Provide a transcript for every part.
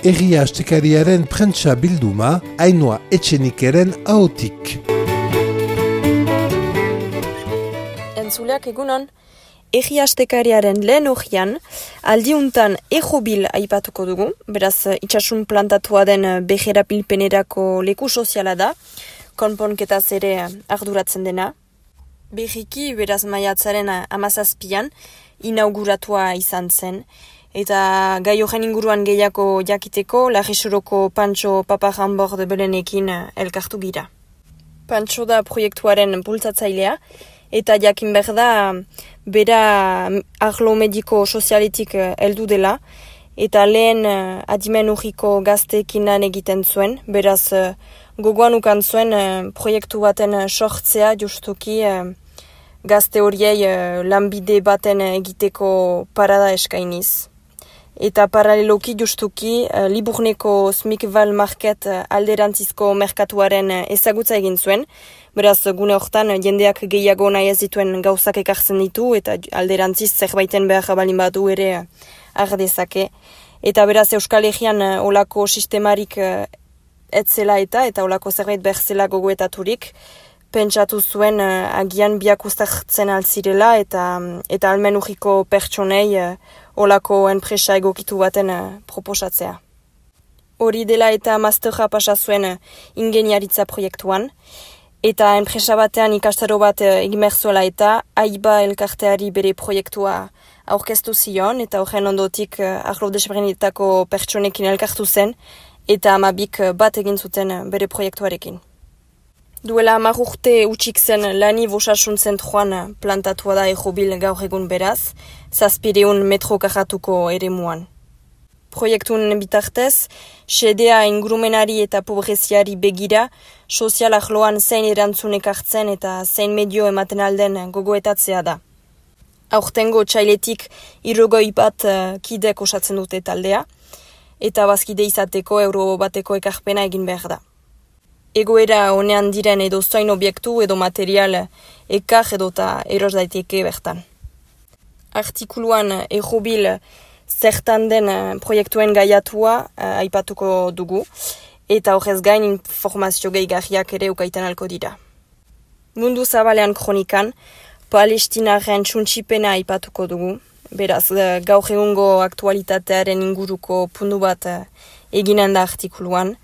Herria Astekariaren prentsa bilduma, Ainhoa Etxenikeren ahotik. Entzuleak egunon, Herria Astekariaren lehen horian, aldiuntan ejobil aipatuko dugu, beraz itxasun plantatua den beherapilpenerako leku soziala da, konponketaz ere arduratzen dena. Berriki, beraz maiatzaren 17an, inauguratua izan zen, eta gai horren inguruan gehiago jakiteko, Larresuroko Pantxo Paparranbord belenekin elkartu gira. Pantxo da proiektuaren bultzatzailea, eta jakin behar da, bera arlo mediko sozialetik heldu dela, eta lehen adimen urriko gazteekin lan egiten zuen, beraz gogoan ukan zuen proiektu baten sortzea justuki gazte horiei lanbide baten egiteko parada eskainiz. Eta paraleloki justuki Liburneko Smikval Market alderantzizko merkatuaren ezagutza egin zuen, beraz gune hortan jendeak gehiago nahi ez dituen gauzak ekartzen ditu eta alderantziz zerbaiten behar balin badu ere ardezake. Eta beraz Euskal Herrian olako sistemarik etzela eta olako zerbait behar zela gogoetaturik, pentsatu zuen agian biak uztartzen altzirela eta almen urriko pertsonei olako enpresa egokitu baten proposatzea. Hori dela eta masterra pasa zuen ingeniaritza proiektuan, eta enpresa batean ikastaro bat egimerzuela eta AIBA elkarteari bere proiektua aurkeztu zion, eta horren ondotik arlo desberdinetako pertsonekin elkartu zen, eta 12 bat egin zuten bere proiektuarekin. Duela 10 urte utxik zen lani bosasun zentruan plantatua da ejobil gaur egun beraz, 700 metro karratuko eremuan. Proiektun bitartez, xedea ingurumenari eta pobreziari begira, sozial arloan zein erantzunek hartzen eta zein medio ematen alden gogoetatzea da. Aurtengo txailetik 60 bat kidek osatzen dute taldea, eta bazkide izateko euro bateko ekarpena egin behar da. Egoera honean diren edo zoin obiektu edo material ekar edota eros daiteke bertan. Artikuluan ejobil zertan den proiektuen gaiatua aipatuko dugu, eta horrez gain informazio gehigarriak ere ukaiten alko dira. Mundu zabalean kronikan, Palestinaren txuntxipena aipatuko dugu, beraz gaur egungo aktualitatearen inguruko puntu bat eginen da artikuluan,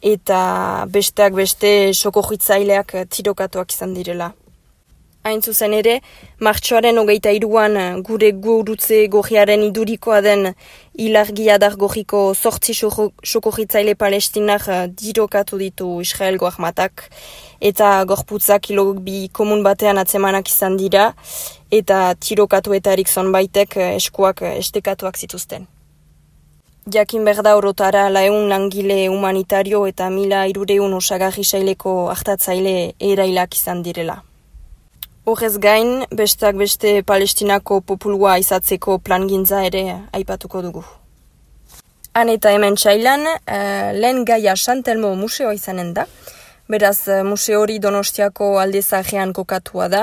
eta besteak beste sokorritzaileak tirokatuak izan direla. Hain zuzen ere, martxoaren 23an gure gurutze gorriaren idurikoa den ilargi adar gorriko 8 sokorritzaile palestinak tirokatu ditu Israelgo armatak, eta gorputzak kilobi komun batean atzemanak izan dira, eta tirokatuetarik zonbaitek eskuak estekatuak zituzten. Jakin berda orotara 100 langile humanitario eta 1300 osagarri saileko artatzaile erailak izan direla. Horrez gain, besteak beste Palestinako populua izatzeko plangintza ere aipatuko dugu. Han eta hemen txailan, lehen gaia Santelmo museoa izanen da, beraz museo hori Donostiako alde zaharrean kokatua da,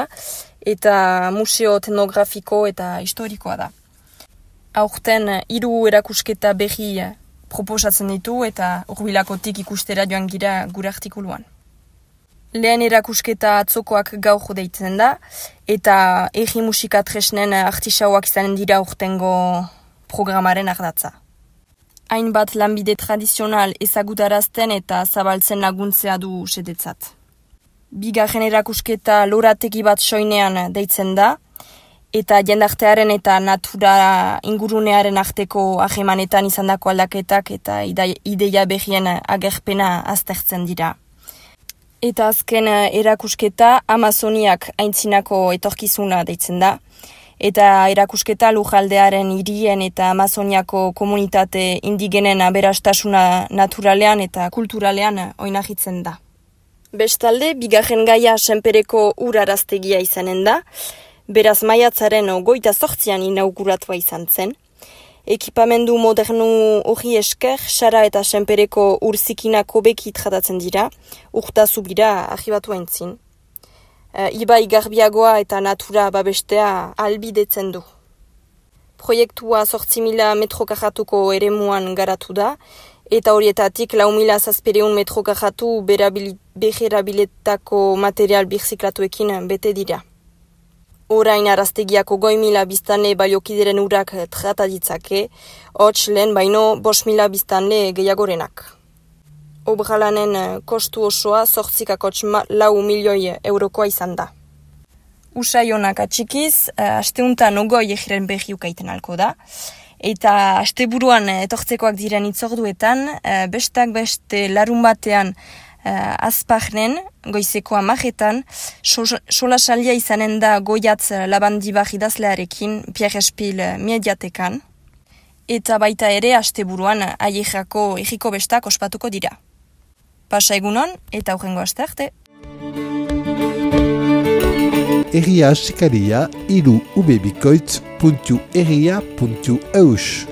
eta museo etnografiko eta historikoa da. Aurten 3 erakusketa berri proposatzen ditu eta hurbilakotik ikustera joan gira gure artikuluan. Lehen erakusketa atzokoak gaur deitzen da, eta erri musika tresnen artisauak izanen dira urtengo programaren ardatza. Hainbat lanbide tradizional ezagutarazten eta zabaltzen laguntzea du sedetzat. Bigarren erakusketa lorategi bat soinean deitzen da, eta jendartearen eta natura ingurunearen arteko ahemanetan izandako aldaketak eta ideia berrien agerpena aztertzen dira. Eta azken erakusketa Amazoniak aintzinako etorkizuna deitzen da, eta erakusketa lujaldearen hirien eta Amazoniako komunitate indigenen aberastasuna naturalean eta kulturalean oinarritzen da. Bestalde, bigarren gaia senpereko uraraztegia izanen da, beraz maiatzaren 28an inauguratua izan zen. Ekipamendu modernu hori esker, Sara eta senpereko urzikinak hobeki tratatzen dira, urta zubira argibatu aintzin. Ibai garbiagoa eta natura babestea albidetzen du. Proiektua 8.000 metro karratuko eremuan garatu da, eta horietatik 4.700 metro karratu beherabilietako material birziklatuekin bete dira. Orain araztegiako 5.000 biztanle baliokideren urak trata ditzake, hots lehen baino 5.000 biztanle gehiagorenak. Obralanen kostu osoa 8,4 milioi eurokoa izan da. Usaionak atxikiz, asteuntan ogoi egiren behi ukaiten alko da. Eta asteburuan etortzekoak diren itzorduetan, bestak beste larun batean azpagnen, goizeko 10:00, solasaldia izanen da Goiatz Labandibar idazlearekin Pierre Espil mediatekan. Eta baita ere asteburuan Aiexako egiko bestak ospatuko dira. Pasa egunon eta hurrengo aste arte. Egia Astekaria 3ubebikoitz.egia.eus